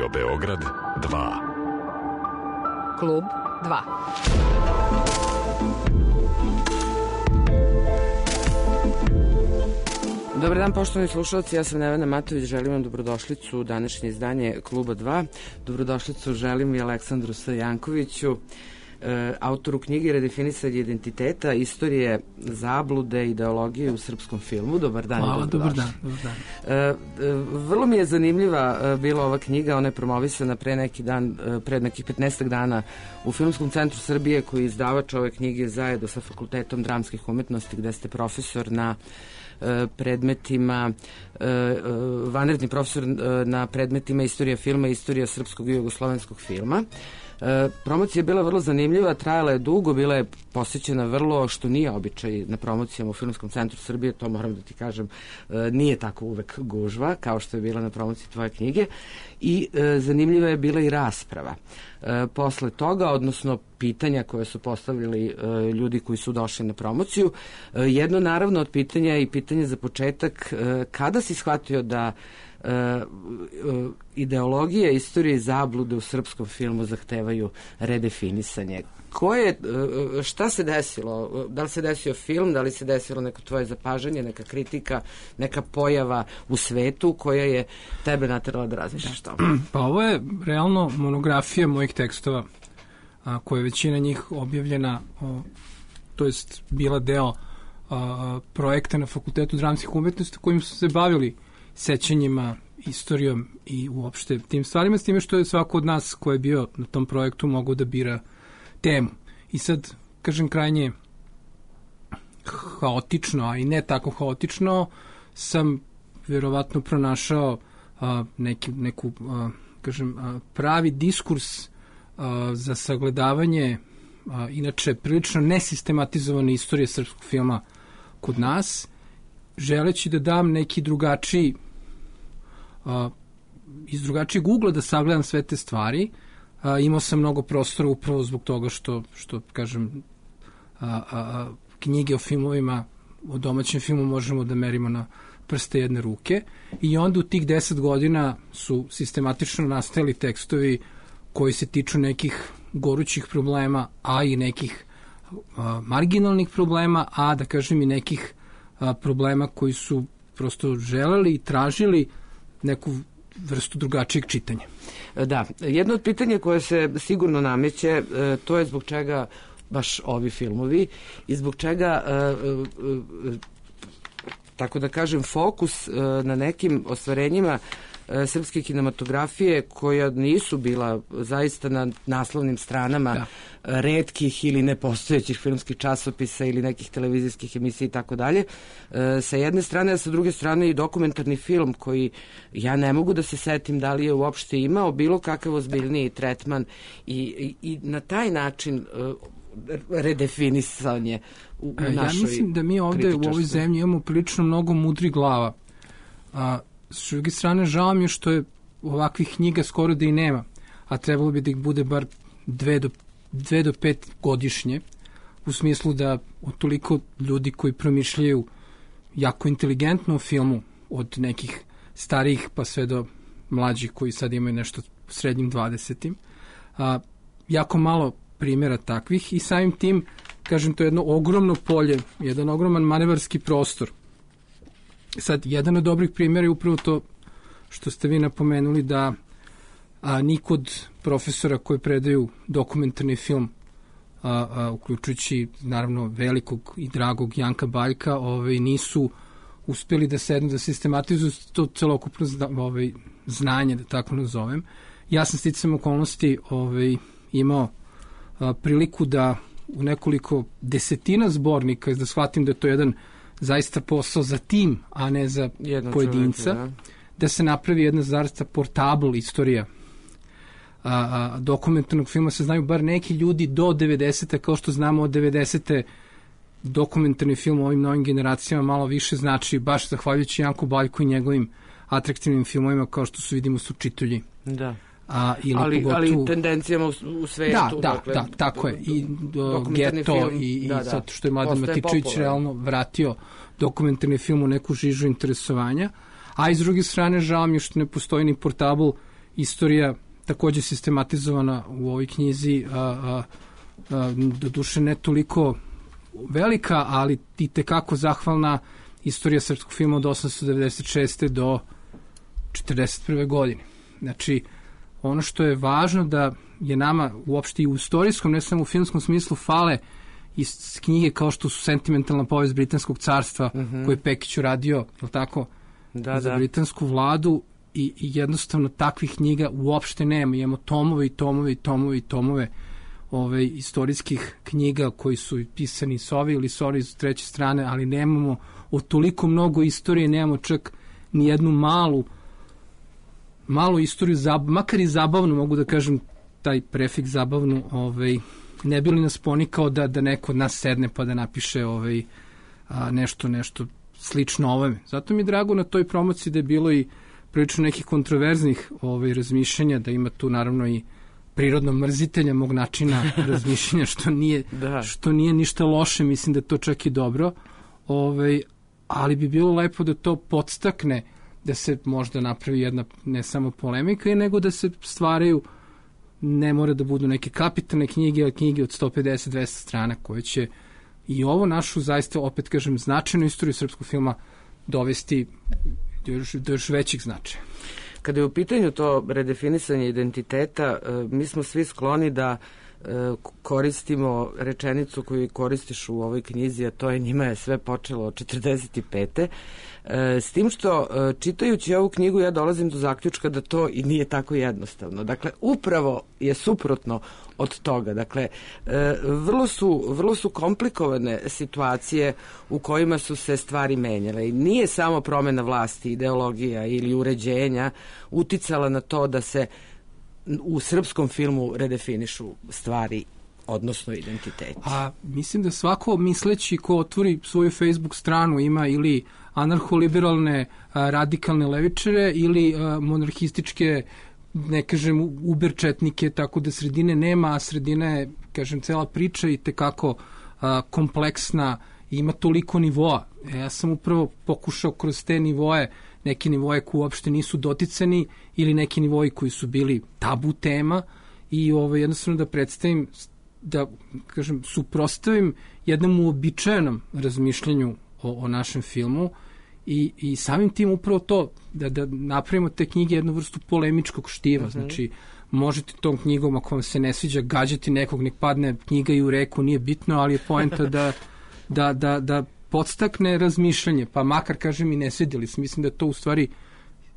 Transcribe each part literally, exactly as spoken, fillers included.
Radio Beograd dva. Klub dva. Dobar dan, poštovani slušalci, ja sam Nevena Matović, želim vam dobrodošlicu u današnje izdanje Kluba dva. Dobrodošlicu želim i Aleksandru Sajankoviću, autoru knjige Redefinisanje identiteta, istorije zablude, ideologije u srpskom filmu. Dobar dan. Hvala, dobar dan, dobar dan. Vrlo mi je zanimljiva bila ova knjiga, ona je promovisana pre neki dan, pre nekih petnaestak dana u Filmskom centru Srbije, koji je izdavač ove knjige zajedno sa Fakultetom dramskih umetnosti, gde ste profesor na predmetima, vanredni profesor na predmetima istorija filma i istorija srpskog i jugoslovenskog filma. Promocija je bila vrlo zanimljiva, trajala je dugo, bila je posjećena vrlo, što nije običaj na promocijama u Filmskom centru Srbije, to moram da ti kažem, nije tako uvek gužva kao što je bila na promociji tvoje knjige, i zanimljiva je bila i rasprava. Posle toga, odnosno pitanja koje su postavili ljudi koji su došli na promociju, jedno naravno od pitanja je i pitanje za početak, kada si shvatio da Uh, uh, ideologije, istorije i zablude u srpskom filmu zahtevaju redefinisanje. Ko je, uh, šta se desilo? Da li se desio film, da li se desilo neko tvoje zapažanje, neka kritika, neka pojava u svetu koja je tebe naterala da razmišljaš to? Pa ovo je realno monografija mojih tekstova, a, koja je većina njih objavljena, o, to jest bila deo a, projekta na Fakultetu dramskih umetnosti kojim su se bavili sećanjima, istorijom i uopšte tim stvarima, s time što je svako od nas ko je bio na tom projektu mogao da bira temu. I sad, kažem, krajnje haotično, a i ne tako haotično, sam verovatno pronašao a, neki, neku, a, kažem, a, pravi diskurs a, za sagledavanje a, inače prilično nesistematizovane istorije srpskog filma kod nas, želeći da dam neki drugačiji a, iz drugačijeg ugla da sagledam sve te stvari. A, imao sam mnogo prostora upravo zbog toga što, što kažem, a, a, a, knjige o filmovima, o domaćem filmu možemo da merimo na prste jedne ruke, i onda u tih deset godina su sistematično nastajali tekstovi koji se tiču nekih gorućih problema, a i nekih a, marginalnih problema, a da kažem i nekih a, problema koji su prosto želeli i tražili neku vrstu drugačijeg čitanja. Da, jedno od pitanja koje se sigurno nameće, to je zbog čega baš ovi filmovi i zbog čega, tako da kažem, fokus na nekim ostvarenjima srpske kinematografije koja nisu bila zaista na naslovnim stranama da. retkih ili nepostojećih filmskih časopisa ili nekih televizijskih emisija i tako dalje. Sa jedne strane, a sa druge strane i dokumentarni film koji ja ne mogu da se setim da li je uopšte imao bilo kakav ozbiljniji tretman i, i, i na taj način redefinisanje u, u našoj. Ja mislim da mi ovde u ovoj zemlji imamo prilično mnogo mudrih glava. A s druge strane, žao mi je što je ovakvih knjiga skoro da i nema, a trebalo bi da ih bude bar dve do, dve do pet godišnje, u smislu da od toliko ljudi koji promišljaju jako inteligentno u filmu, od nekih starijih pa sve do mlađih koji sad imaju nešto u srednjim dvadesetim, a, jako malo primjera takvih, i samim tim, kažem, to je jedno ogromno polje, jedan ogroman manevarski prostor. Sad, jedan od dobrih primjera je upravo to što ste vi napomenuli, da a, nikod profesora koji predaju dokumentarni film, a, a, uključujući naravno velikog i dragog Janka Baljka, ovaj, nisu uspeli da sednu, da sistematizuju to celokupno zna, ovaj, znanje, da tako nazovem. Ja sam sticam okolnosti ovaj, imao a, priliku da u nekoliko desetina zbornika, da shvatim da je to jedan zaista posao za tim, a ne za Jedno pojedinca, čovjek, da. da se napravi jedna zaista portable istorija a, a, dokumentarnog filma. Se znaju bar neki ljudi do devedesete, kao što znamo od devedesete dokumentarni film ovim novim generacijama malo više znači, baš zahvaljujući Janku Baljku i njegovim atraktivnim filmovima, kao što su, vidimo, su Čitulji. Da. A, ili ali, pogotovo, ali tendencijama u, u svetu. Da, da, dakle, da, tako je. I do, Geto film, i, i da, da. Sad što je Mladen Matičević realno vratio dokumentarni film u neku žižu interesovanja. A iz druge strane, žao mi je što ne postoji ni portabl istorija takođe sistematizovana u ovoj knjizi, a, a, a, do duše ne toliko velika, ali i tekako zahvalna istorija srpskog filma od osamsto devedeset šeste do četrdeset prve godine. Znači, ono što je važno da je nama uopšte i u istorijskom, ne samo u filmskom smislu, fale iz knjige kao što su Sentimentalna povest Britanskog carstva, mm-hmm. koji je Pekić uradio, je tako, da, za da. britansku vladu, i, i jednostavno takvih knjiga uopšte nema. Imamo tomove i tomove i tomove i tomove ove, istorijskih knjiga koji su pisani s ove ili s ove iz treće strane, ali nemamo od toliko mnogo istorije, nemamo čak ni jednu malu malu istoriju, zab, makar i zabavnu, mogu da kažem taj prefiks zabavnu, ovaj, ne bi li nas ponikao da, da neko od nas sedne pa da napiše ovaj, a, nešto, nešto slično ovome. Zato mi je drago na toj promociji da je bilo i prilično nekih kontroverznih ovaj, razmišljanja, da ima tu naravno i prirodno mrzitelja mog načina razmišljanja, što nije, da. što nije ništa loše, mislim da to čak i dobro, ovaj, ali bi bilo lepo da to podstakne, da se možda napravi jedna ne samo polemika, nego da se stvaraju, ne mora da budu neke kapitalne knjige, ali knjige od sto pedeset do dvesta strana koje će i ovo našu, zaista, opet kažem, značajnu istoriju srpskog filma dovesti do još, do još većih značaja. Kada je u pitanju to redefinisanje identiteta, mi smo svi skloni da koristimo rečenicu koju koristiš u ovoj knjizi, a to je njima je sve počelo od četrdeset pete. S tim što, čitajući ovu knjigu, ja dolazim do zaključka da to i nije tako jednostavno. Dakle, upravo je suprotno od toga. Dakle, vrlo su, vrlo su komplikovane situacije u kojima su se stvari menjale. I nije samo promena vlasti, ideologija ili uređenja uticala na to da se u srpskom filmu redefinišu stvari, odnosno identiteti. A mislim da svako misleći ko otvori svoju Facebook stranu ima ili anarcho-liberalne a, radikalne levičare ili a, monarhističke, ne kažem, uberčetnike, tako da sredine nema, a sredina je, kažem, cela priča i tekako a, kompleksna i ima toliko nivoa. E, ja sam upravo pokušao kroz te nivoe, neki nivoje koji uopšte nisu doticani ili neki nivoji koji su bili tabu tema i ovaj, jednostavno da predstavim, da kažem, suprostavim jednom uobičajenom razmišljanju o, o našem filmu i, i samim tim upravo to, da, da napravimo te knjige jednu vrstu polemičkog štiva. Uh-huh. Znači, možete tom knjigom, ako vam se ne sviđa, gađati nekog, nek padne knjiga i u reku, nije bitno, ali je poenta da, da, da, da podstakne razmišljanje, pa makar, kažem, i ne svidjeli se. Mislim da to u stvari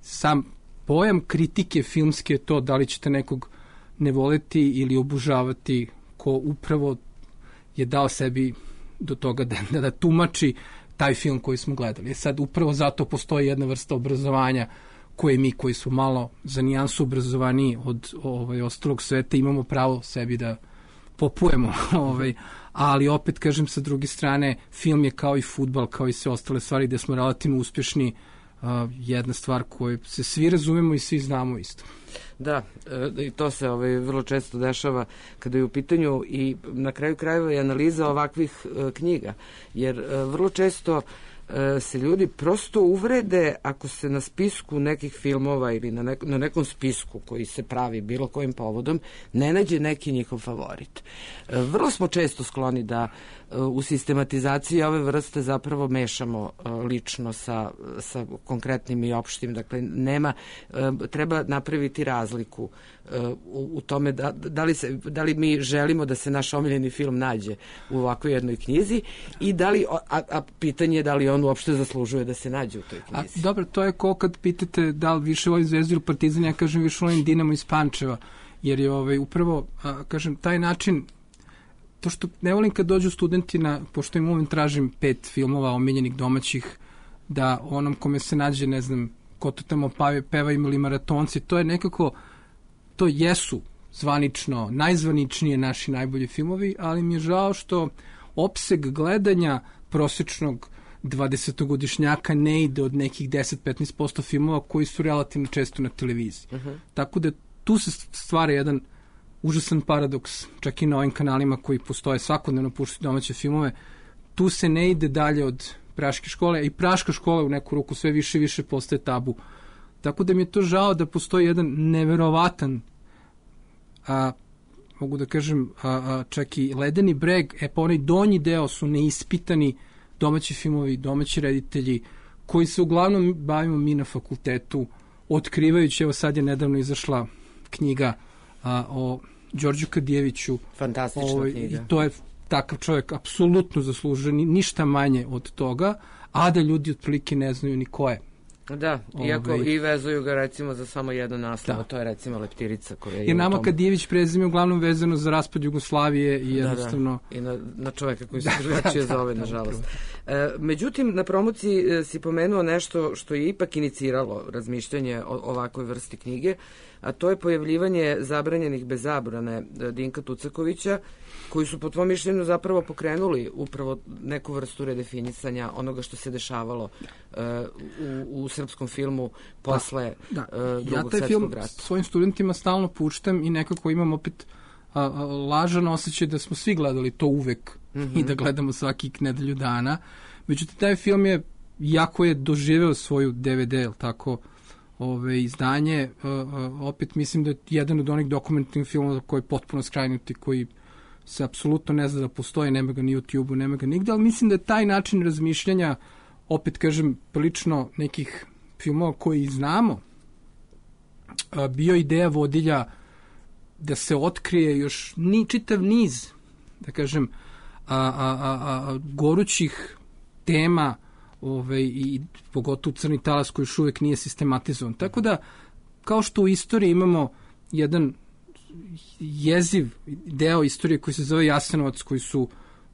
sam pojam kritike filmske je to da li ćete nekog ne voleti ili obožavati ko upravo je dao sebi do toga da, da, da tumači taj film koji smo gledali. Sad upravo zato postoji jedna vrsta obrazovanja koje mi koji smo malo za nijansu obrazovaniji od ovaj, ostalog sveta imamo pravo sebi da popujemo. ovaj, ali opet, kažem, sa druge strane, film je kao i fudbal, kao i sve ostale stvari gde smo relativno uspješni, uh, jedna stvar koju se svi razumemo i svi znamo isto. Da, i to se ovaj, vrlo često dešava kada je u pitanju i na kraju krajeva i analiza ovakvih uh, knjiga, jer uh, vrlo često uh, se ljudi prosto uvrede ako se na spisku nekih filmova ili na, nek- na nekom spisku koji se pravi bilo kojim povodom ne nađe neki njihov favorit. Uh, vrlo smo često skloni da uh, u sistematizaciji ove vrste zapravo mešamo uh, lično sa, sa konkretnim i opštim. Dakle, nema, uh, treba napraviti razliku uh, u, u tome da, da, li se, da li mi želimo da se naš omiljeni film nađe u ovakvoj jednoj knjizi i da li, a, a pitanje je da li on uopšte zaslužuje da se nađe u toj knjizi. A, dobro, to je ko kad pitate da li više volim Zvezdu ili Partizan, ja kažem više volim Dinamo iz Pančeva, jer je ovaj, upravo, a, kažem, taj način, to što ne volim kad dođu studenti na, pošto im uvijek tražim pet filmova omiljenih domaćih, da onom kome se nađe, ne znam, ko to tamo peva ili maratonci, to je nekako, to jesu zvanično, najzvaničnije naši najbolji filmovi, ali mi je žao što opseg gledanja prosječnog dvadesetogodišnjaka ne ide od nekih deset do petnaest posto filmova koji su relativno često na televiziji. Uh-huh. Tako da tu se stvara jedan užasan paradoks, čak i na ovim kanalima koji postoje svakodnevno puštaju domaće filmove. Tu se ne ide dalje od Praške škole i Praška škola u neku ruku sve više i više postaje tabu Tako da mi je to žao da postoji jedan neverovatan, a, mogu da kažem, a, a, čak i ledeni breg, e pa onaj donji deo su neispitani domaći filmovi, domaći reditelji, koji se uglavnom bavimo mi na fakultetu, otkrivajući, evo sad je nedavno izašla knjiga a, o Đorđu Kadijeviću. Fantastična ovaj, knjiga. I to je takav čovjek apsolutno zaslužen, ništa manje od toga, a da ljudi otprilike ne znaju ni ko je. Da, iako Ove, i vezuju ga recimo za samo jedno naslova, to je recimo Leptirica koja je. Jer nama tom... Kadijević prezime uglavnom vezano za raspad Jugoslavije i jednostavno... Da, da. I na, na čoveka koji se drugačije zove, nažalost. E, međutim, na promociji e, si pomenuo nešto što je ipak iniciralo razmišljanje o ovakvoj vrsti knjige, a to je pojavljivanje zabranjenih bez zabrane Dinka Tucakovića, koji su po tvom mišljenju zapravo pokrenuli upravo neku vrstu redefinisanja onoga što se dešavalo uh, u, u srpskom filmu posle da, da. Uh, drugog svjetskog rata. Ja taj film svojim studentima stalno puštam i nekako imam opet a, a, lažan osjećaj da smo svi gledali to uvek mm-hmm. i da gledamo svaki nedelju dana. Međutim, taj film je, jako je doživeo svoju D V D, jel tako, ove, izdanje. A, a, opet mislim da je jedan od onih dokumentarnih filmova koji je potpuno skrajnuti, koji se apsolutno ne zna da postoji, nema ga ni u YouTube-u, nema ga nigde, ali mislim da je taj način razmišljanja, opet kažem, prilično nekih filmova koji znamo, bio ideja vodilja da se otkrije još ni čitav niz, da kažem, a, a, a, a, gorućih tema, ove, i pogotovo Crni talas koji još uvek nije sistematizovan. Tako da, kao što u istoriji imamo jedan jeziv deo istorije koji se zove Jasenovac, koji su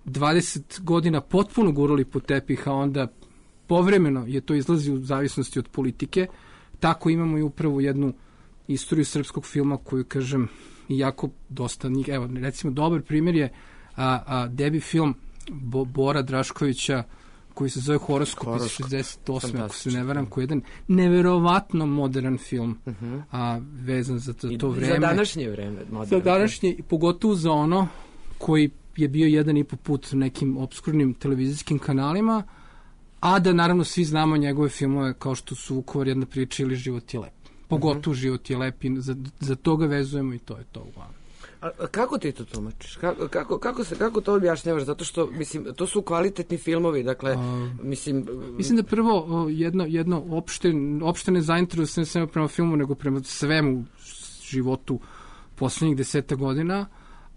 dvadeset godina potpuno gurali po tepih, a onda povremeno je to izlazi u zavisnosti od politike, tako imamo i upravo jednu istoriju srpskog filma koju, kažem, jako dosta njih, evo, recimo, dobar primjer je a, a, debi film Bo, Bora Draškovića, koji se zove Horoskop iz šezdeset osme ako se ne varam, koji je jedan neverovatno modern film, uh-huh. a vezan za to, to vreme. Za današnje vreme. Modern. Za današnje, pogotovo za ono koji je bio jedan i po put nekim obskurnim televizijskim kanalima, a da naravno svi znamo njegove filmove kao što su Vukovar, jedna priča ili Život je lep. Pogotovo uh-huh. Život je lep i za, za to ga vezujemo i to je to uglavnom. A kako ti to tumačiš? Kako, kako, kako, se, kako to objašnjavaš? Zato što, mislim, to su kvalitetni filmovi, dakle, a, mislim... Mislim da prvo jedno, jedno opšte, opšte ne zainteresuje ne samo prema filmu, nego prema svemu životu poslednjih deseta godina,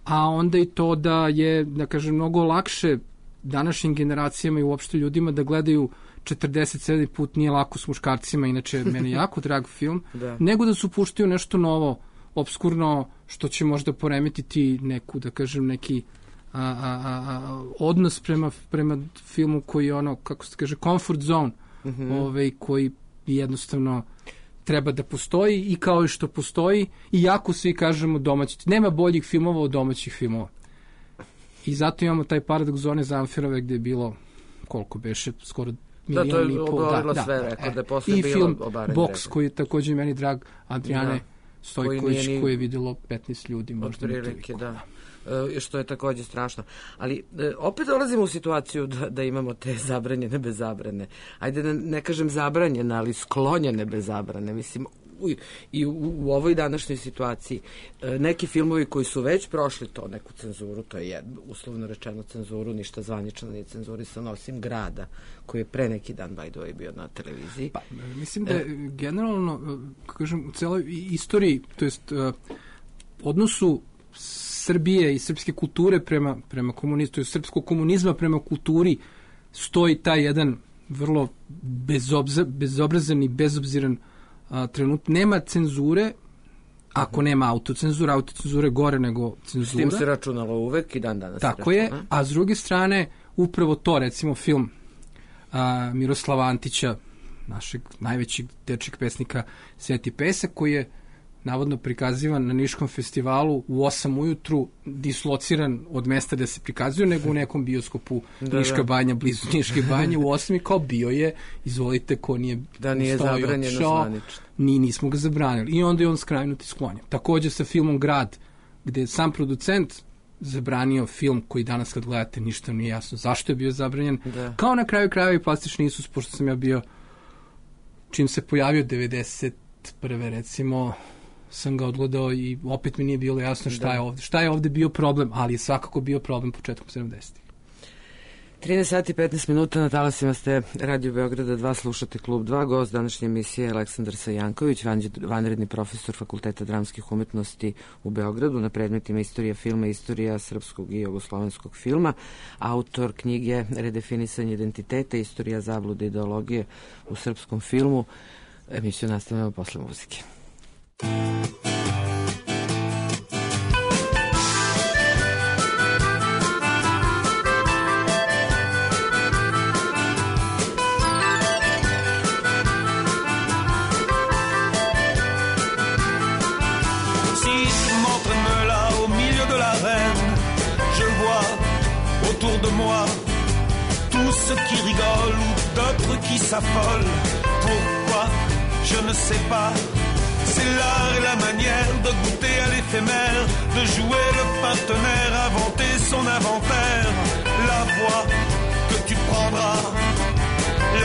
a onda i to da je, da kažem, mnogo lakše današnjim generacijama i uopšte ljudima da gledaju četrdeset sedam put nije lako s muškarcima, inače meni jako drag film, da. Nego da su puštaju nešto novo, obskurno, što će možda poremetiti neku, da kažem, neki a, a, a, odnos prema, prema filmu koji je ono, kako se kaže, comfort zone, mm-hmm. ovaj, koji jednostavno treba da postoji i kao i što postoji, i jako svi kažemo domaći. Nema boljih filmova od domaćih filmova. I zato imamo taj paradoks Zone Zamfirove gde je bilo, koliko beše, skoro milijon i pol. Da, to je sve da, rekao, da je posle i bilo film Box, koji je također meni drag, Adriane da. Stojković, koji, koji je vidjelo petnaest ljudi, možda ne toliko. Da. E, što je također strašno. Ali e, opet dolazimo u situaciju da, da imamo te zabranjene bez zabrane. Ajde da ne kažem zabranjene, ali sklonjene bez zabrane. Mislim, u, i u, u ovoj današnjoj situaciji e, neki filmovi koji su već prošli to, neku cenzuru, to je uslovno rečeno cenzuru, ništa zvanično nije cenzurisano, osim Grada, koji je pre neki dan, by the way, bio na televiziji. Pa, mislim da je e, generalno, kažem, u celoj istoriji, to jest uh, odnosu Srbije i srpske kulture prema, prema komunistu, srpskog komunizma prema kulturi, stoji taj jedan vrlo bezobza, bezobrazan i bezobziran a, trenut. Nema cenzure, ako nema autocenzura, autocenzura je gore nego cenzura. S tim se računalo uvek i dan danas. Tako je, a s druge strane, upravo to, recimo film a, Miroslava Antića, našeg najvećeg dečeg pesnika Sveti pesak, koji je navodno prikazivan na Niškom festivalu u osam ujutru, dislociran od mesta da se prikazuje, nego u nekom bioskopu da, Niška da. Banja, blizu Niške banje, u osam i kao bio je, izvolite, ko nije da nije zabranjeno zvanično. Ni, nismo ga zabranili. I onda je on skrajnuti sklonjen. Također sa filmom Grad, gde je sam producent zabranio film koji danas kad gledate ništa nije jasno zašto je bio zabranjen. Da. Kao na kraju krajeva i Plastični Isus, pošto sam ja bio čim se pojavio devedeset prve recimo, sam ga odgledao i opet mi nije bilo jasno šta je ovde. Šta je ovde bio problem, ali je svakako bio problem početkom sedamdesetih. trinaest sati i petnaest minuta, na talasima ste Radio Beograda dva, slušate Klub dva, gost današnje emisije Aleksandar Sajanković, vanredni profesor Fakulteta dramskih umetnosti u Beogradu na predmetima istorija filma, istorija srpskog i jugoslovenskog filma, autor knjige Redefinisanje identiteta, istorija zablude ideologije u srpskom filmu. Emisiju nastavljamo posle muzike. Autour de moi, tous ceux qui rigolent ou d'autres qui s'affolent. Pourquoi? Je ne sais pas. C'est l'art et la manière de goûter à l'éphémère, de jouer le partenaire, inventer son inventaire. La voie que tu prendras,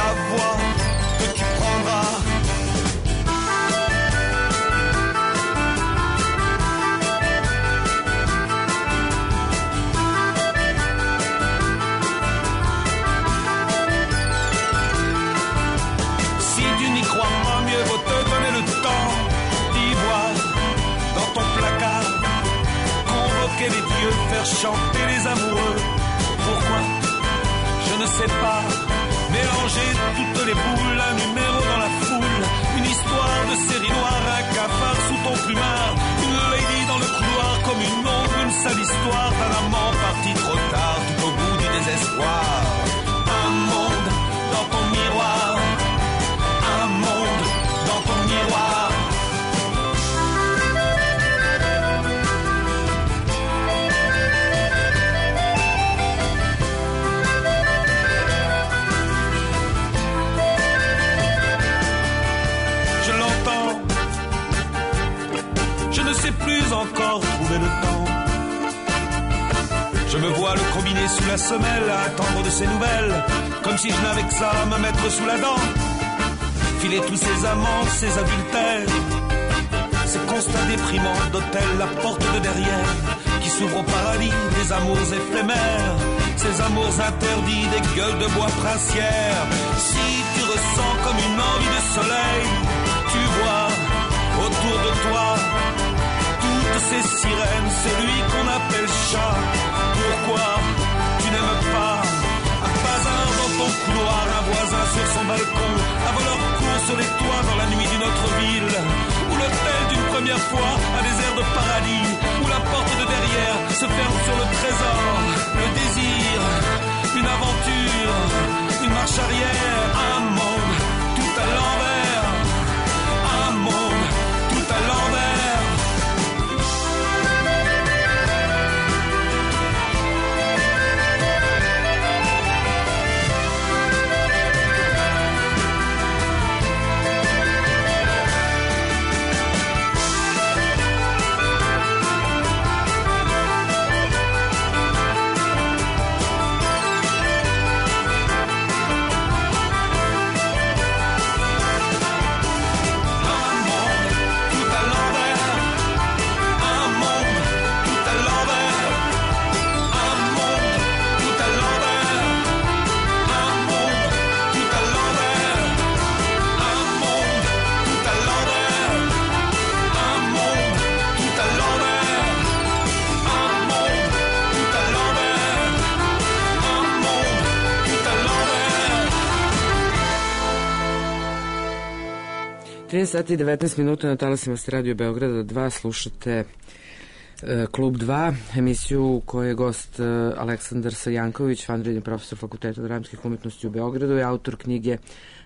la voie que tu prendras. Les dieux, faire chanter les amoureux. Pourquoi? Je ne sais pas. Mélanger toutes les boules, un numéro dans la foule, une histoire de série noire, un cafard sous ton plumard, une lady dans le couloir comme une ombre, une sale histoire d'un amant parti trop tard, tout au bout du désespoir. Un monde dans ton miroir, un monde dans ton miroir. Je ne sais plus encore trouver le temps. Je me vois le combiner sous la semelle, à attendre de ses nouvelles, comme si je n'avais que ça à me mettre sous la dent. Filer tous ces amants, ces adultères, ces constats déprimants d'hôtel, la porte de derrière qui s'ouvre au paradis, des amours éphémères, ces amours interdits, des gueules de bois princières. Si tu ressens comme une envie de soleil, tu vois autour de toi ces sirènes, celui qu'on appelle chat. Pourquoi tu n'aimes pas un bazar dans ton couloir, un voisin sur son balcon, un voleur court sur les toits dans la nuit d'une autre ville, ou l'hôtel d'une première fois, un désert de paradis, où la porte de derrière se ferme sur le trésor, le désir, une aventure, une marche arrière, un monde tout à l'envers, un monde tout à l'envers. trinaest sati i devetnaest minuta, na talasima ste Radio Beograda dva, slušate e, Klub dva, emisiju u kojoj je gost e, Aleksandar Sajanković, vanredni profesor Fakulteta dramskih umetnosti u Beogradu i autor knjige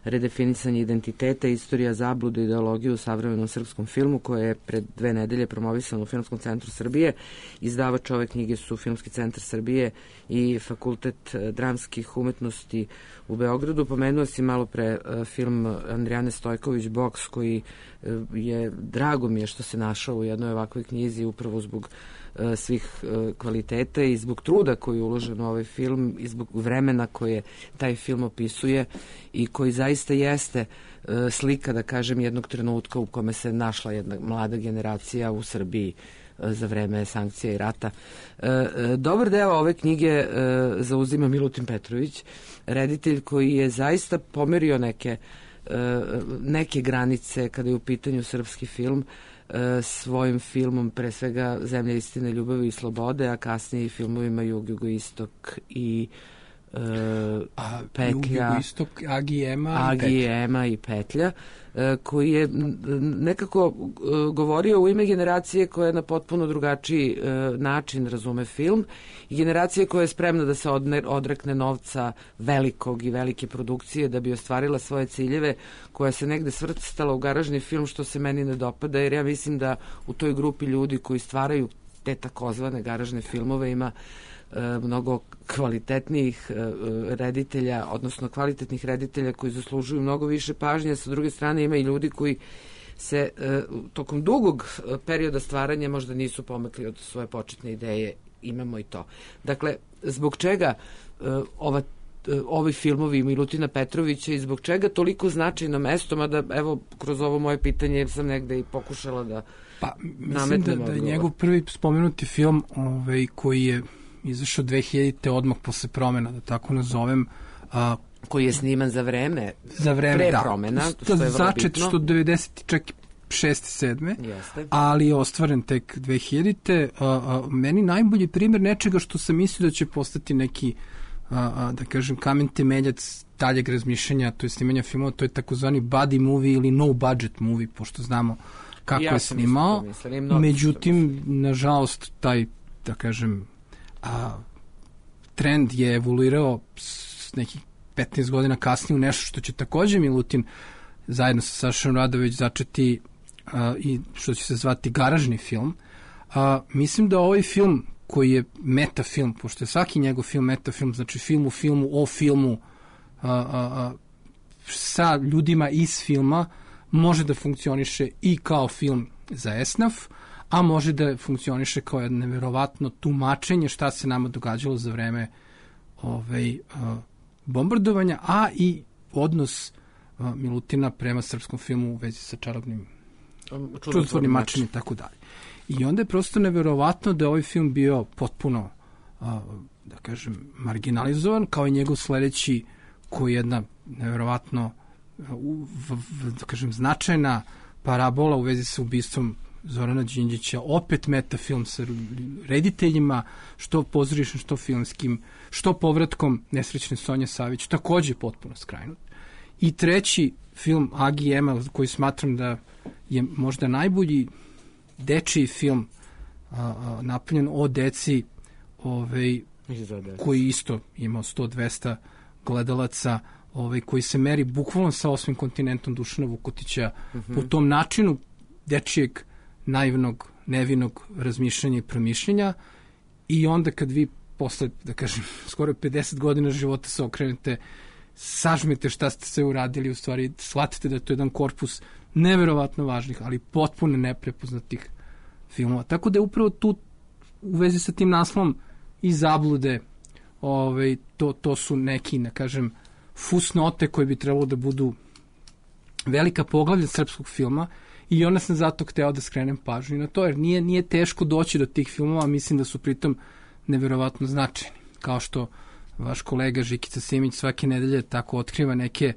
Redefinisanje identiteta, istorija zablude i ideologije u savremenom srpskom filmu, koje je pred dve nedelje promovisano u Filmskom centru Srbije. Izdavač ove knjige su Filmski centar Srbije i Fakultet dramskih umetnosti u Beogradu. Pomenuo si malo pre film Andrijane Stojković Boks, koji je, drago mi je što se našao u jednoj ovakvoj knjizi upravo zbog svih kvaliteta i zbog truda koji je uložen u ovaj film i zbog vremena koje taj film opisuje i koji zaista jeste slika, da kažem, jednog trenutka u kome se našla jedna mlada generacija u Srbiji za vreme sankcija i rata. Dobar deo ove knjige zauzima Milutin Petrović, reditelj koji je zaista pomerio neke, neke granice kada je u pitanju srpski film svojim filmom, pre svega Zemlja istine, ljubavi i slobode, a kasnije i filmovima Jug, Jugoistok i Uh, a, Petlja, Jugoistok, Agijema Agijema i Petlja, uh, koji je nekako uh, govorio u ime generacije koja na potpuno drugačiji uh, način razume film i generacije koja je spremna da se odne, odrekne novca velikog i velike produkcije da bi ostvarila svoje ciljeve, koja se negde svrstala u garažni film, što se meni ne dopada, jer ja mislim da u toj grupi ljudi koji stvaraju te takozvane garažne filmove ima mnogo kvalitetnijih reditelja, odnosno kvalitetnih reditelja koji zaslužuju mnogo više pažnje. Sa druge strane ima i ljudi koji se tokom dugog perioda stvaranja možda nisu pomakli od svoje početne ideje. Imamo i to. Dakle, zbog čega ova ovi filmovi Milutina Petrovića i zbog čega toliko značajno mesto, mada evo kroz ovo moje pitanje sam negde i pokušala da pa, mislim da, da je njegov prvi spomenuti film ovaj, koji je izašao dve hiljadite odmah posle promena, da tako nazovem. A, koji je sniman za vreme, za vreme pre da, promena, što je začet što devedeset čak šeste sedme Jeste. Ali je ostvaren tek dve hiljadite A, a, meni najbolji primjer nečega što sam mislio da će postati neki, a, a, da kažem, kamen temeljac daljeg razmišljanja, to je snimanja filmova, to je takozvani buddy movie ili no budget movie, pošto znamo kako ja je snimao. Međutim, nažalost, taj, da kažem, a, trend je evoluirao s nekih petnaest godina kasnije u nešto što će takođe Milutin zajedno sa Sašom Radović začeti a, i što će se zvati garažni film. A, mislim da ovaj film koji je metafilm, pošto je svaki njegov film metafilm, znači film u filmu o filmu a, a, a, sa ljudima iz filma, može da funkcioniše i kao film za esnaf, a može da funkcioniše kao jedno neverovatno tumačenje šta se nama događalo za vreme ovaj, a, bombardovanja, a i odnos a, Milutina prema srpskom filmu u vezi sa čarobnim čudotvornim mačem i tako dalje. I onda je prosto neverovatno da je ovaj film bio potpuno, a, da kažem, marginalizovan, kao i njegov sledeći, koji je jedna neverovatno u, v, v, da kažem, značajna parabola u vezi sa ubistvom Zorana Đinđića, opet metafilm sa rediteljima, što pozorišnim, što filmskim, što povratkom nesrećne Sonje Savić, takođe potpuno skrajnut. I treći film Agi Emel, koji smatram da je možda najbolji dečiji film a, a, napravljen o deci, ovaj, koji isto imao sto do dvesta gledalaca, ovaj, koji se meri bukvalno sa osmim kontinentom Dušana Vukotića, uh-huh. po tom načinu dečijeg, naivnog, nevinog razmišljanja i promišljenja. I onda kad vi posle, da kažem, skoro pedeset godina života se okrenete, sažmete šta ste sve uradili, u stvari shvatite da je to jedan korpus neverovatno važnih, ali potpuno neprepoznatih filmova. Tako da je upravo tu u vezi sa tim naslovom i zablude, ovaj, to, to su neki, ne kažem, fusnote koje bi trebalo da budu velika poglavlja srpskog filma, i onda sam zato hteo da skrenem pažnju na to, jer nije, nije teško doći do tih filmova, mislim da su pritom neverovatno značajni. Kao što vaš kolega Žikica Simić svake nedelje tako otkriva neke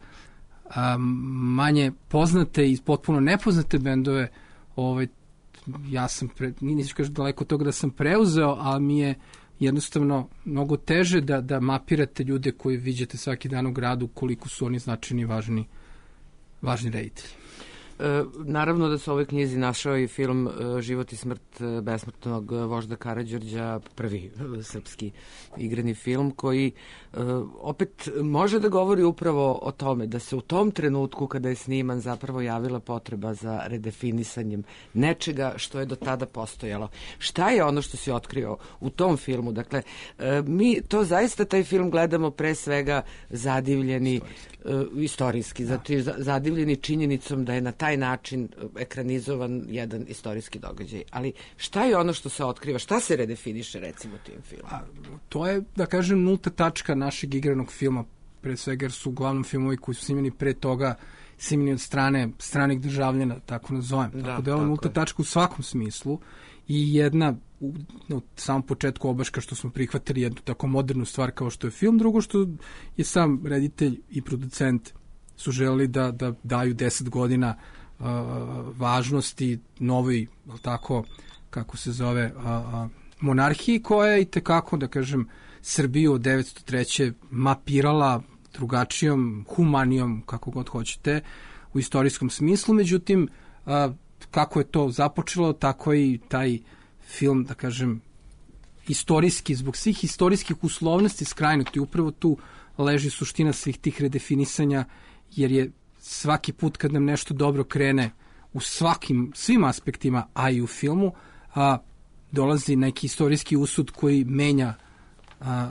a, manje poznate i potpuno nepoznate bendove, ovaj, ja sam, pre, nisam kažem daleko od toga da sam preuzeo, ali mi je jednostavno mnogo teže da, da mapirate ljude koji viđate svaki dan u gradu, koliko su oni značajni i važni, važni reditelji. E, naravno da se u ovoj knjizi našao i film e, Život i smrt besmrtnog vožda Karađorđa, prvi e, srpski igrani film, koji e, opet može da govori upravo o tome da se u tom trenutku kada je sniman zapravo javila potreba za redefinisanjem nečega što je do tada postojalo. Šta je ono što si otkrio u tom filmu? Dakle, e, mi to zaista taj film gledamo pre svega zadivljeni istorijski, e, istorijski da. Zato je zadivljeni činjenicom da je na taj taj način ekranizovan jedan istorijski događaj. Ali šta je ono što se otkriva? Šta se redefiniše, recimo, tim filmom? A, to je, da kažem, nulta tačka našeg igranog filma, pre svega jer su uglavnom filmovi koji su snimljeni pre toga snimljeni od strane stranih državljana, tako nazovem. Da, tako da je ovo nulta je. tačka u svakom smislu i jedna u, u samom početku obaška što smo prihvatili jednu tako modernu stvar kao što je film, drugo što je sam reditelj i producent su želeli da, da daju deset godina uh, važnosti novoj, tako, kako se zove, uh, uh, monarhiji koja je i tekako, da kažem, Srbiju od devetsto treće mapirala drugačijom, humanijom, kako god hoćete, u istorijskom smislu. Međutim, uh, kako je to započelo, tako i taj film, da kažem, istorijski, zbog svih istorijskih uslovnosti skrajnuti. Upravo tu leži suština svih tih redefinisanja, jer je svaki put kad nam nešto dobro krene u svakim, svim aspektima, a i u filmu, a, dolazi neki istorijski usud koji menja a, a,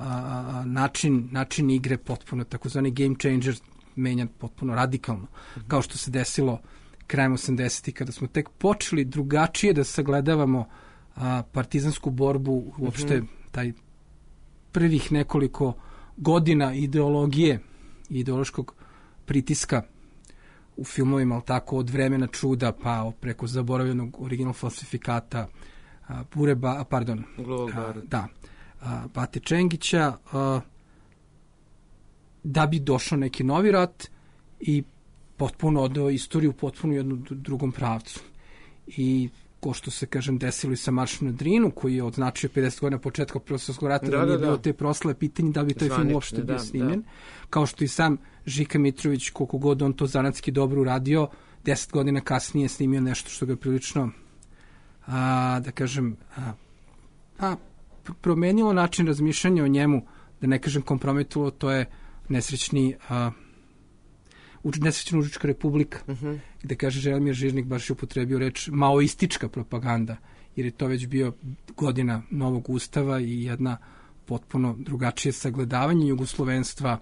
a, način, način igre potpuno, takozvani game changer menja potpuno radikalno, mm-hmm. kao što se desilo krajem osamdesetih kada smo tek počeli drugačije da sagledavamo a, partizansku borbu, uopšte mm-hmm. taj prvih nekoliko godina ideologije i ideološkog pritiska u filmovima, ali tako, od Vremena čuda pa preko zaboravljenog original falsifikata a, Bureba, pardon, a, da, a, Bate Čengića, a, da bi došao neki novi rat i potpuno odao istoriju potpuno jednu drugom pravcu. I ko što se, kažem, desilo i sa Maršom na Drinu, koji je odznačio pedeset godina početka Prvog svjetskog rata, da, da nije da, bilo te proslave pitanje da bi taj Zvanične, film uopšte bio da, snimljen. Da. Kao što i sam Žika Mitrović, koliko god on to zanatski dobro uradio, deset godina kasnije snimio nešto što ga prilično, a, da kažem, a, a, promenilo način razmišljanja o njemu, da ne kažem kompromitovalo, to je nesrećni a, nesrećna Užička republika, uh-huh. gde kaže Želimir Žižnik baš je upotrebio reč maoistička propaganda, jer je to već bio godina novog ustava i jedna potpuno drugačije sagledavanje jugoslovenstva,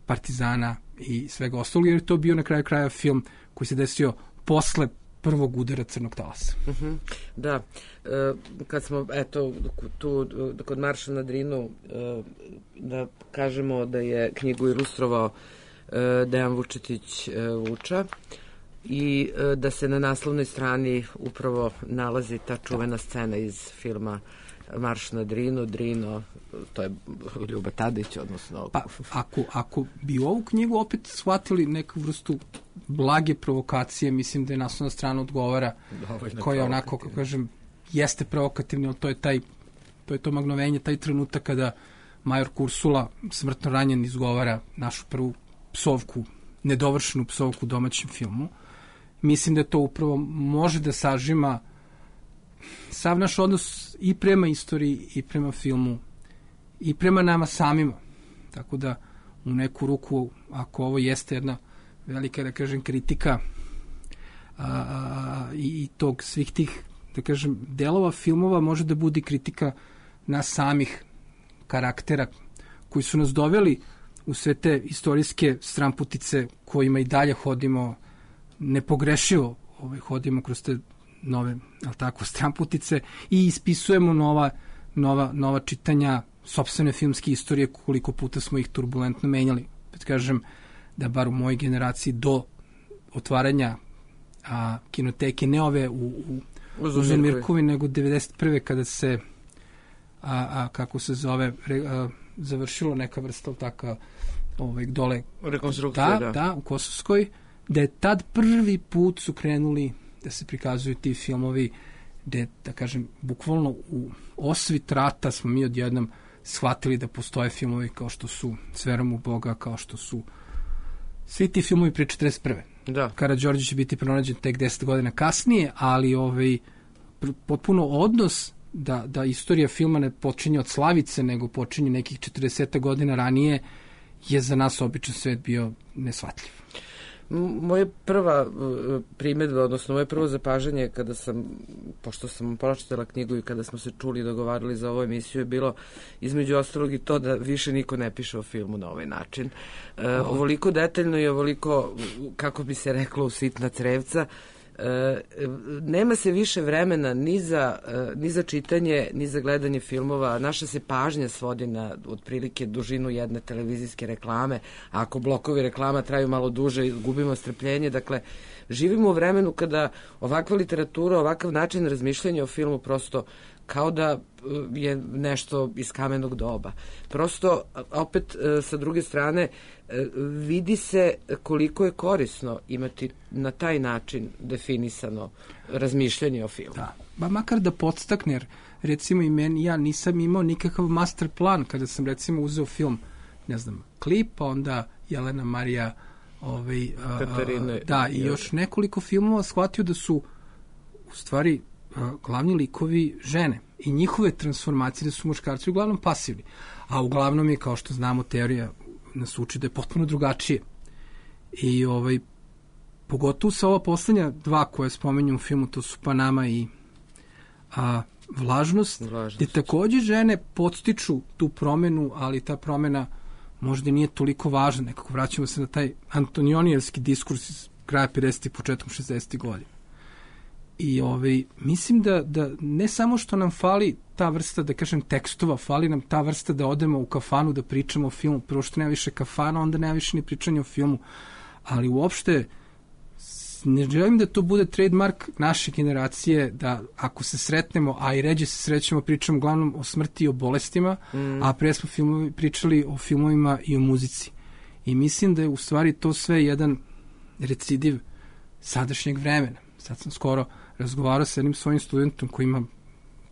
partizana i svega ostalog, jer je to bio na kraju kraja film koji se desio posle prvog udara crnog talasa. Uh-huh. Da, e, kad smo, eto, tu, kod Marša na Drinu, e, da kažemo da je knjigu ilustrovao Dejan Vučetić Vuča i da se na naslovnoj strani upravo nalazi ta čuvena scena iz filma Marš na Drinu, Drino, to je Ljuba Tadić, odnosno... Pa, ako, ako bi ovu knjigu opet shvatili neku vrstu blage provokacije, mislim da je naslovna strana odgovara, koja onako, kako kažem, jeste provokativna, ali to je taj, to je to magnovenje, taj trenutak kada major Kursula smrtno ranjen izgovara našu prvu psovku, nedovršenu psovku u domaćem filmu. Mislim da to upravo može da sažima sav naš odnos i prema istoriji, i prema filmu, i prema nama samima. Tako da, u neku ruku, ako ovo jeste jedna velika, da kažem, kritika a, a, i, i tog svih tih, da kažem, delova filmova, može da bude kritika nas samih karaktera koji su nas doveli u sve te istorijske stramputice kojima i dalje hodimo nepogrešivo, ovaj, hodimo kroz te nove, ali tako, stramputice i ispisujemo nova, nova, nova čitanja sopstvene filmske istorije, koliko puta smo ih turbulentno menjali. Pet kažem da bar u mojoj generaciji do otvaranja a, kinoteke, ne ove u, u, u Zemirkovi, nego devedeset prve kada se a, a, kako se zove a, završilo neka vrsta taka ovaj, dole rekonstrukcija, da, da. da, u Kosovskoj, da je tad prvi put su krenuli da se prikazuju ti filmovi gde, da kažem, bukvalno u osvit rata smo mi odjednom shvatili da postoje filmovi kao što su S verom u Boga, kao što su svi ti filmovi pre četrdeset prve. Da. Karađorđe će biti pronađen tek deset godina kasnije, ali ovaj, potpuno odnos da, da istorija filma ne počinje od Slavice, nego počinje nekih četrdeset godina ranije, je za nas običan svet bio neshvatljiv. moja prva primjedba, odnosno moje prvo zapažanje kada sam, pošto sam pročitala knjigu i kada smo se čuli i dogovarali za ovu emisiju, je bilo između ostalog i to da više niko ne piše o filmu na ovaj način. E, ovoliko detaljno i ovoliko, kako bi se reklo, u sitna crevca. E, nema se više vremena ni za, e, ni za čitanje, ni za gledanje filmova. Naša se pažnja svodi na otprilike dužinu jedne televizijske reklame, a ako blokovi reklama traju malo duže, gubimo strpljenje. Dakle, živimo u vremenu kada ovakva literatura, ovakav način razmišljanja o filmu prosto kao da je nešto iz kamenog doba. Prosto, opet, sa druge strane, vidi se koliko je korisno imati na taj način definisano razmišljanje o filmu. Da, ba makar da podstakne, jer recimo i meni, ja nisam imao nikakav master plan kada sam recimo uzeo film, ne znam, Klip, pa onda Jelena Marija, ovaj, Katarine, da, i još nekoliko filmova, shvatio da su u stvari glavni likovi žene i njihove transformacije, da su muškarci uglavnom pasivni. A uglavnom je, kao što znamo, teorija nas uči da je potpuno drugačije. I ovaj, pogotovo sa ova poslednja dva koje spomenju u filmu, to su Panama i a, Vlažnost, Vlažnost, gde takođe žene podstiču tu promenu, ali ta promena možda nije toliko važna. Nekako vraćamo se na taj antonionijevski diskurs iz kraja pedesetih, početkom šezdesetih godina. I ovaj, mislim da, da ne samo što nam fali ta vrsta, da kažem, tekstova, fali nam ta vrsta da odemo u kafanu da pričamo o filmu. Prvo što nema više kafana, onda nema više ni pričanja o filmu. Ali uopšte ne želim da to bude trademark naše generacije, da ako se sretnemo, a i ređe se srećemo, pričamo uglavnom o smrti i o bolestima, mm. a pre smo filmovi, pričali o filmovima i o muzici. I mislim da je u stvari to sve jedan recidiv sadašnjeg vremena. Sad sam skoro razgovarao sa jednim svojim studentom koji ima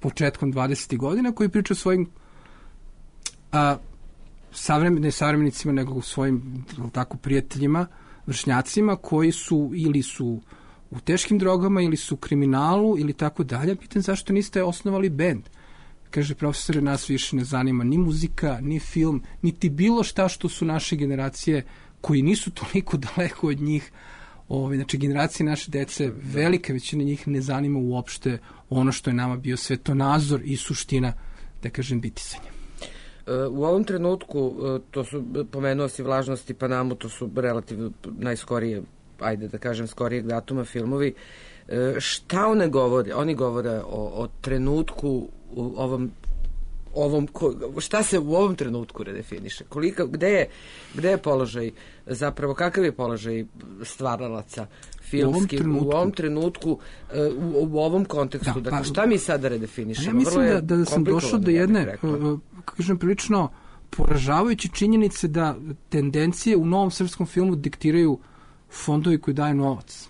početkom dvadesetih godina, koji priča o svojim a, savremen, ne savremenicima, nego svojim tako, prijateljima, vršnjacima, koji su ili su u teškim drogama, ili su u kriminalu, ili tako dalje. Pitan zašto niste osnovali bend? Kaže, profesore, nas više ne zanima ni muzika, ni film, niti bilo šta što su naše generacije, koji nisu toliko daleko od njih. Ove, znači, generacije naše dece, velika većina njih ne zanima uopšte ono što je nama bio svetonazor i suština, da kažem, bitisanja. U ovom trenutku, to su, pomenuo si Vlažnost i Panamu, to su relativno najskorije, ajde da kažem, skorijeg datuma filmovi. Šta one govore? Oni govore o, o trenutku u ovom ovom, šta se u ovom trenutku redefiniše? Kolika, gde je, gde je položaj, zapravo kakav je položaj stvaralaca filmski u ovom trenutku, u ovom, trenutku, u, u ovom kontekstu? Da, dakle, pa, šta mi sada redefinišemo? Ja mislim da, da sam došao do jedne, kažem, prilično poražavajuće činjenice da tendencije u novom srpskom filmu diktiraju fondovi koji daju novac.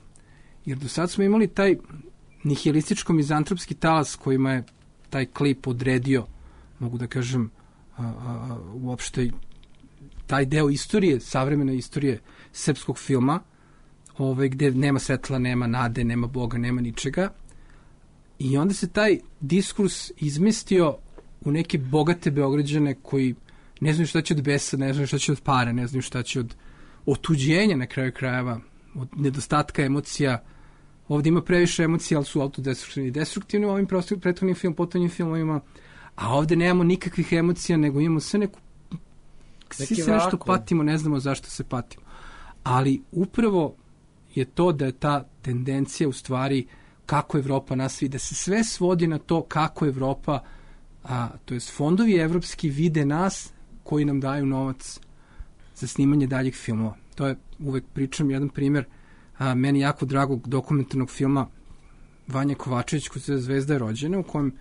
Jer do sad smo imali taj nihilističko-mizantropski talas kojima je taj Klip odredio, mogu da kažem, a, a, uopšte taj deo istorije, savremene istorije srpskog filma, ovaj, gde nema svetla, nema nade, nema Boga, nema ničega. I onda se taj diskurs izmestio u neke bogate Beograđane koji ne znaju šta će od besa, ne znaju šta će od para, ne znaju šta će od otuđenja na kraju krajeva, od nedostatka emocija. Ovdje ima previše emocija, ali su autodestruktivni i destruktivni u ovim prethodnim film, potonjim filmovima, a ovdje nemamo nikakvih emocija, nego imamo sve neku... Svi se nešto patimo, ne znamo zašto se patimo. Ali upravo je to da je ta tendencija u stvari kako Evropa nas vidi, da se sve svodi na to kako Evropa, a, to jest fondovi evropski vide nas koji nam daju novac za snimanje daljih filmova. To je, uvek pričam jedan primjer, a, meni jako dragog dokumentarnog filma Vanja Kovačević, koja se Zvezda je rođena, u kojem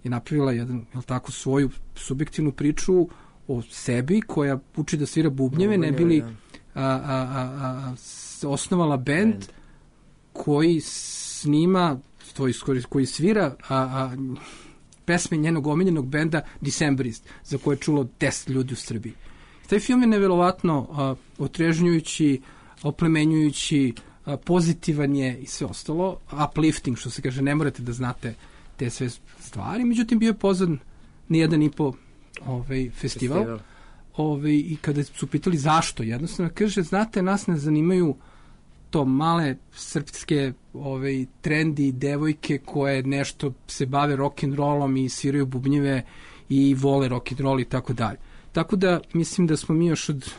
je napravila jedan, jel tako, svoju subjektivnu priču o sebi, koja uči da svira bubnjeve, ne bili a, a, a, a, osnovala bend, band koji snima, to je, koji svira a, a, pesme njenog omiljenog benda Decemberist, za koje je čulo deset ljudi u Srbiji. Taj film je neverovatno a, otrežnjujući, oplemenjujući, a, pozitivan je i sve ostalo, uplifting, što se kaže, ne morate da znate te sve stvari, međutim bio je pozvan na jedan i po ovaj, festival, festival. Ovaj, i kada su pitali zašto, jednostavno kaže, znate, nas ne zanimaju to male srpske ove, trendi devojke koje nešto se bave rock'n'rollom i sviraju bubnjeve i vole rock'n'roll i tako dalje. Tako da mislim da smo mi još od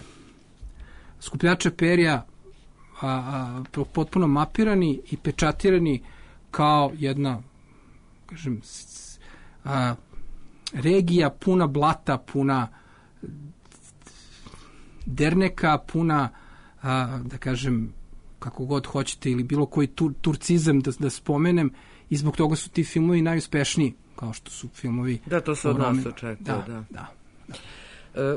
skupljača perja a, a, potpuno mapirani i pečatirani kao jedna, kažem, a, regija puna blata, puna derneka, puna, a, da kažem, kako god hoćete, ili bilo koji tur, turcizam da, da spomenem, i zbog toga su ti filmovi najuspešniji, kao što su filmovi... Da, to se od nas očekuje, da. da. da. E,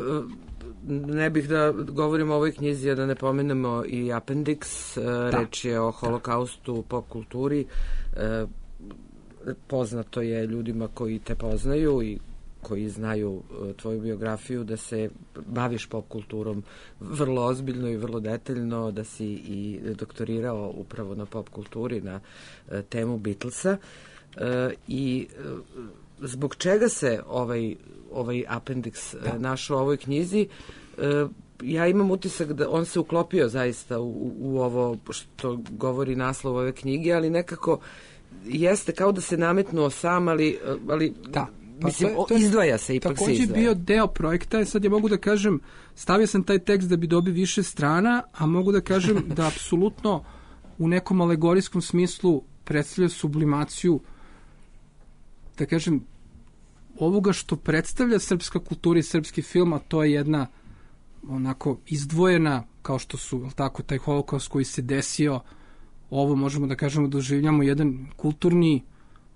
ne bih da govorimo o ovoj knjizi, a da ne pomenemo i Appendix, da. Reč je o holokaustu, pop kulturi. E, poznato je ljudima koji te poznaju i koji znaju tvoju biografiju da se baviš pop kulturom vrlo ozbiljno i vrlo detaljno, da si i doktorirao upravo na pop kulturi, na temu Beatlesa. E, I zbog čega se ovaj, ovaj Appendix da. našao u ovoj knjizi? E, ja imam utisak da on se uklopio zaista u, u ovo što govori naslov ove knjige, ali nekako jeste kao da se nametnuo sam, ali, ali da. Pa mislim, to je, to je, izdvaja se, ipak se izdvaja. Takođe bio deo projekta, sad ja mogu da kažem, stavio sam taj tekst da bi dobio više strana, a mogu da kažem da apsolutno u nekom alegorijskom smislu predstavlja sublimaciju, da kažem, ovoga što predstavlja srpska kultura i srpski film, a to je jedna onako izdvojena, kao što su, tako, taj holokaust koji se desio, ovo možemo da kažemo doživljamo jedan kulturni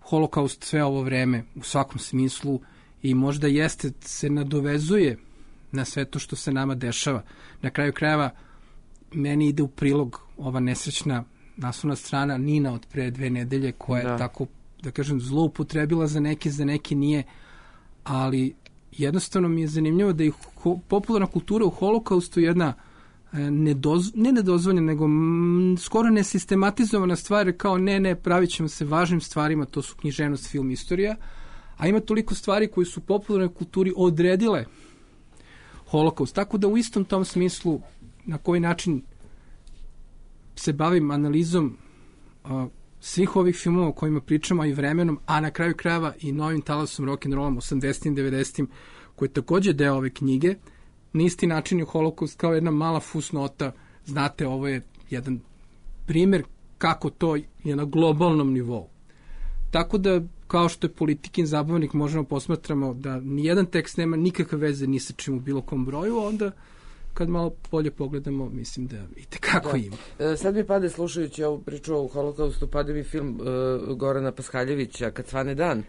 holokaust sve ovo vreme u svakom smislu i možda jeste se nadovezuje na sve to što se nama dešava. Na kraju krajeva meni ide u prilog ova nesrećna naslovna strana Nina od pre dve nedelje koja da. je tako, da kažem, zloupotrebila za neke, za neke nije, ali jednostavno mi je zanimljivo da je popularna kultura u holokaustu jedna Nedoz, ne nedozvoljena, nego m, skoro nesistematizovana stvar, kao ne, ne, pravit ćemo se važnim stvarima, to su književnost, film, istorija, a ima toliko stvari koji su u popularnoj kulturi odredile holokaust. Tako da u istom tom smislu, na koji način se bavim analizom a, svih ovih filmova o kojima pričamo i vremenom, a na kraju krajeva i novim talasom rock'n'rollom osamdesetim, devedesetim, koji je takođe deo ove knjige, na isti način je holokaust kao jedna mala fusnota. Znate, ovo je jedan primjer kako to je na globalnom nivou. Tako da, kao što je Politikin zabavnik, možemo posmatramo da nijedan tekst nema nikakve veze ni sa čim u bilo kom broju, onda kad malo bolje pogledamo, mislim da i tekako ima. E, sad mi pade, slušajući ovu priču o holokaustu, pade mi film e, Gorana Paskaljevića, Kad svane dan.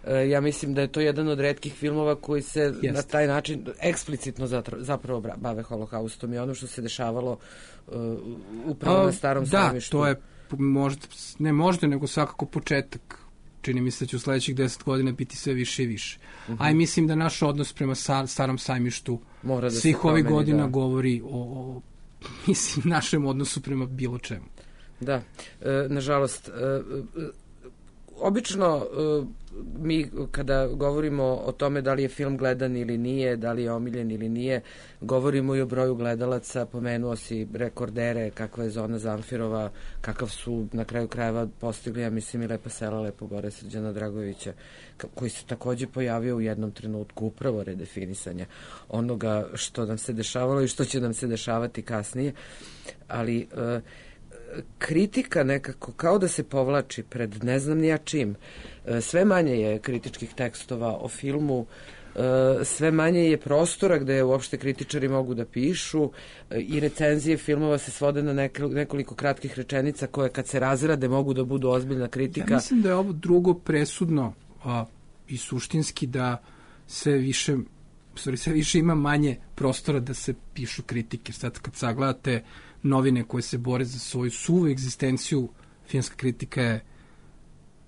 E, ja mislim da je to jedan od retkih filmova koji se Jest. na taj način eksplicitno zapravo bave holokaustom i ono što se dešavalo e, upravo A, na Starom da, sajmištu. Da, to je možda, ne možda, nego svakako početak. Čini mi se da će u sledećih deset godina biti sve više i više. Uh-huh. A i mislim da naš odnos prema sa, Starom sajmištu Mora da svih ovih godina da. govori o, o mislim, našem odnosu prema bilo čemu. Da, e, nažalost, e, obično e, mi kada govorimo o tome da li je film gledan ili nije, da li je omiljen ili nije, govorimo i o broju gledalaca, pomenuo si rekordere, kakva je Zona Zamfirova, kakav su na kraju krajeva postigli, ja mislim, i Lepa sela, Lepo gore Srđana Dragovića, koji se takođe pojavio u jednom trenutku upravo redefinisanja onoga što nam se dešavalo i što će nam se dešavati kasnije, ali e, kritika nekako kao da se povlači pred ne znam nija čim. Sve manje je kritičkih tekstova o filmu, sve manje je prostora gde uopšte kritičari mogu da pišu i recenzije filmova se svode na nekoliko kratkih rečenica koje kad se razrade mogu da budu ozbiljna kritika. Ja mislim da je ovo drugo presudno a, i suštinski da sve više, sorry, sve više ima manje prostora da se pišu kritike. Sad kad sagledate novine koje se bore za svoju suvu egzistenciju, filmska kritika je,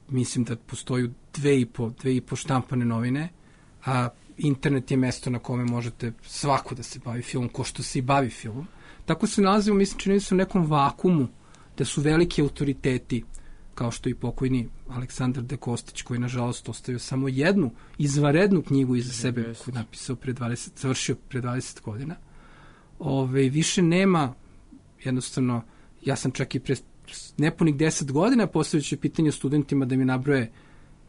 mislim da postoju dve i po, dve i po štampane novine, a internet je mesto na kome možete svako da se bavi filmom, ko što se i bavi filmom. Tako se nalazimo, mislim, čini se u nekom vakumu, da su veliki autoriteti, kao što i pokojni Aleksandar De Kostić, koji nažalost ostavio samo jednu izvanrednu knjigu iza sebe, koju je napisao pre dvadeset, završio pre dvadeset godina. Ove, više nema jednostavno ja sam čak i pre nepunih deset godina postavljajući pitanje studentima da mi nabroje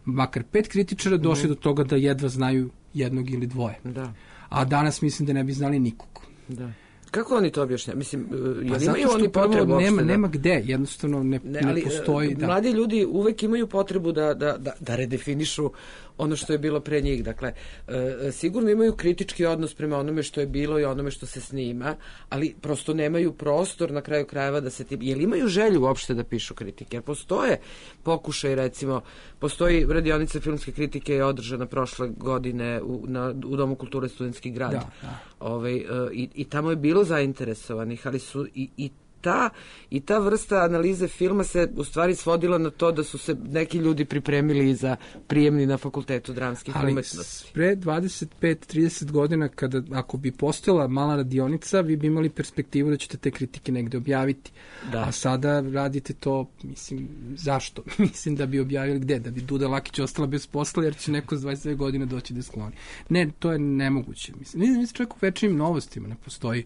makar pet kritičara, došli mm. do toga da jedva znaju jednog ili dvoje. Da. A danas mislim da ne bi znali nikog. Da. Kako oni to objašnjaju? Mislim, pa jel imaju oni potrebu nema, da... nema gde, jednostavno ne, ne, ali, ne postoji. Da. Mladi ljudi uvek imaju potrebu da, da, da, da redefinišu ono što je bilo pre njih. Dakle, e, sigurno imaju kritički odnos prema onome što je bilo i onome što se snima, ali prosto nemaju prostor na kraju krajeva da se... Ti, jel imaju želju uopšte da pišu kritike? Jer postoje pokušaj, recimo, postoji radionica filmske kritike je održana prošle godine u, na, u Domu kulture Studentski grad. Da, da. Ovaj, e, i, i tamo je bilo zainteresovanih, ali su i, i ta i ta vrsta analize filma se u stvari svodila na to da su se neki ljudi pripremili za prijemni na Fakultetu dramskih umetnosti. Ali pre dvadeset pet trideset godina, kada, ako bi postojala mala radionica, vi bi imali perspektivu da ćete te kritike negde objaviti. Da. A sada radite to, mislim, zašto? Mislim da bi objavili gde? Da bi Duda Lakić ostala bez posla, jer će neko s dvadeset dve godine doći da skloni. Ne, to je nemoguće. Mislim, mislim čak u večernjim novostima ne postoji.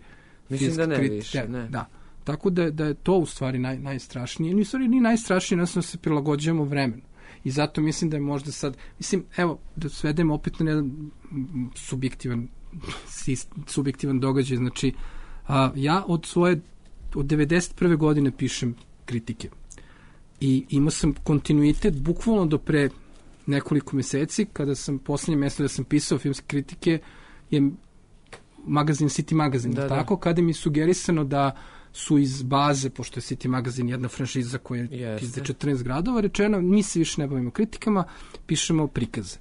Mislim da ne krit... više, ne. Da. Tako da, da je to u stvari naj, najstrašnije. Ni u stvari ni najstrašnije, nas se prilagođujemo vremenu. I zato mislim da je možda sad, mislim, evo, da svedemo opet na jedan subjektivan, subjektivan događaj. Znači, a, ja od svoje, od devedeset prve godine pišem kritike. I imao sam kontinuitet, bukvalno do pre nekoliko meseci, kada sam poslednje mesto da sam pisao filmske kritike, je magazin City Magazine. Da, tako, da. Kada mi je sugerisano da su iz baze, pošto je City Magazine jedna franšiza koja je iz četrnaest gradova, rečeno, mi se više ne bavimo kritikama, pišemo prikaze.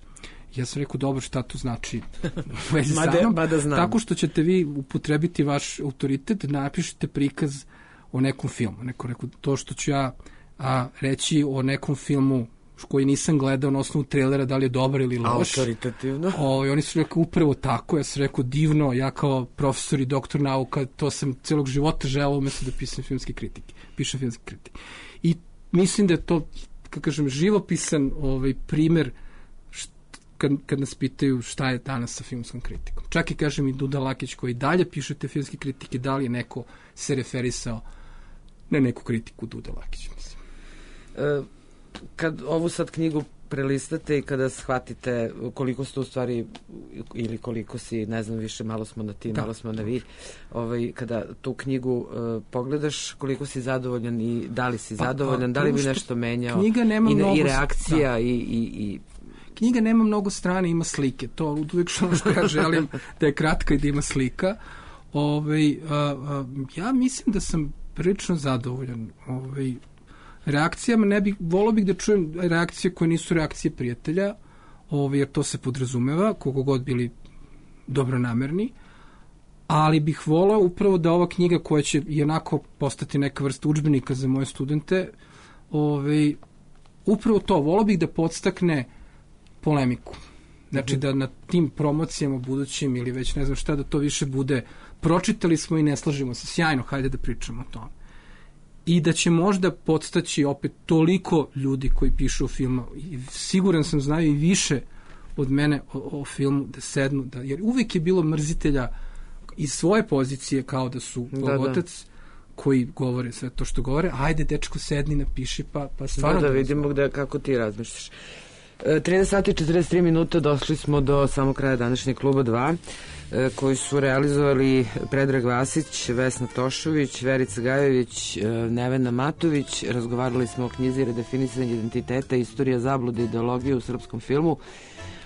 Ja sam rekao, dobro, šta to znači u vezi sa mnom? Tako što ćete vi upotrebiti vaš autoritet, napišete prikaz o nekom filmu. Neko rekao, to što ću ja a, reći o nekom filmu koji nisam gledao na osnovu trailera, da li je dobar ili loš. Autoritativno. O, i oni su rekao upravo tako, ja sam rekao divno, ja kao profesor i doktor nauka, to sam celog života želao umjesto da pisam filmske kritike. Pišem filmske kritike. I mislim da je to, kako kažem, živopisan ovaj, primer št, kad, kad nas pitaju šta je danas sa filmskom kritikom. Čak i kažem i Duda Lakić koji dalje piše te filmske kritike, da li je neko se referisao na neku kritiku Duda Lakić, mislim. E, kad ovu sad knjigu prelistate i kada shvatite koliko ste u stvari ili koliko si, ne znam više, malo smo na ti, da. malo smo na vi, ovaj, kada tu knjigu uh, pogledaš, koliko si zadovoljan i da li si pa, zadovoljan, pa, da li bi nešto menjao knjiga nema i, mnogo, i reakcija da. i, i, i... Knjiga nema mnogo strane, ima slike, to uvijek što ja želim da je kratka i da ima slika. Ovaj, uh, uh, ja mislim da sam prilično zadovoljan ovaj, reakcijama, ne bih, volao bih da čujem reakcije koje nisu reakcije prijatelja, ovaj, jer to se podrazumeva, koliko god bili dobronamerni, ali bih volao upravo da ova knjiga koja će i onako postati neka vrsta udžbenika za moje studente, ovaj, upravo to, volao bih da podstakne polemiku. Znači mm-hmm. da na tim promocijama budućim ili već ne znam šta, da to više bude pročitali smo i ne slažemo se, sjajno, hajde da pričamo o tome. I da će možda podstaći opet toliko ljudi koji pišu o filmu, i siguran sam znaju i više od mene o, o filmu, da sednu, da, jer uvek je bilo mrzitelja iz svoje pozicije kao da su otac koji govore sve to što govore, ajde dečko sedni, napiši, pa, pa stvarno... Da, da vidimo gde, kako ti razmišljaš. trinaest sati i četrdeset tri minuta, došli smo do samog kraja današnjeg kluba dva, koji su realizovali Predrag Vasić, Vesna Tošović, Verica Gajović, Nevena Matović. Razgovarali smo o knjizi Redefinisanje identiteta, istorija zablude i ideologije u srpskom filmu,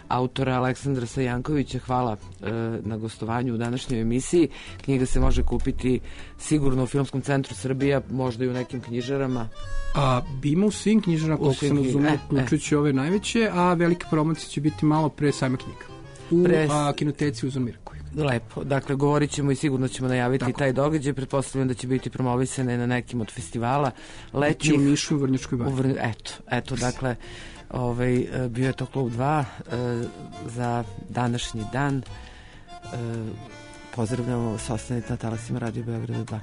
autora Aleksandra Sajankovića. Hvala e, na gostovanju u današnjoj emisiji. Knjiga se može kupiti sigurno u Filmskom centru Srbija, možda i u nekim knjižarama. A ima u svim knjižarama, koliko sam razumio, uključujući e, e. ove najveće, a velika promocija će biti malo pre same knjiga. U pre... a, kinoteci u Zomirku. Lepo. Dakle, govorit ćemo i sigurno ćemo najaviti tako taj događaj. Pretpostavljam da će biti promovisane na nekim od festivala letnjih. U Nišu, u Vrnjačkoj banji. Vr... Eto, eto, dakle, ovaj, bio je to klub dva e, za današnji dan. E, pozdravljamo vas, ostanite na talasima Radio Beograda dva.